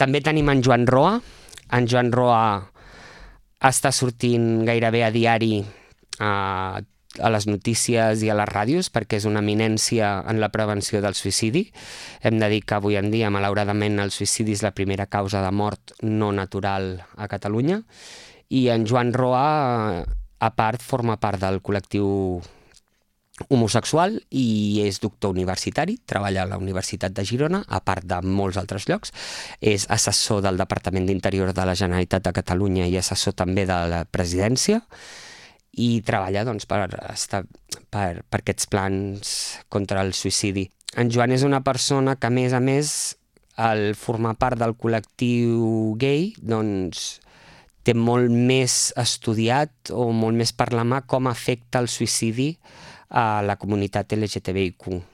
També tenim en Joan Roa. En Joan Roa està sortint gairebé a diari a les notícies i a les ràdios perquè és una eminència en la prevenció del suïcidi. Hem de dir que avui en dia, malauradament, el suïcidi és la primera causa de mort no natural a Catalunya. I en Joan Roa, a part, forma part del col·lectiu homosexual i és doctor universitari, treballa a la Universitat de Girona, a part de molts altres llocs. És assessor del Departament d'Interior de la Generalitat de Catalunya i assessor també de la presidència i treballa doncs, per aquests plans contra el suïcidi. En Joan és una persona que, a més, al formar part del col·lectiu gay, doncs, té molt més estudiat o molt més per la mà com afecta el suïcidi a la comunitat LGTBIQ+.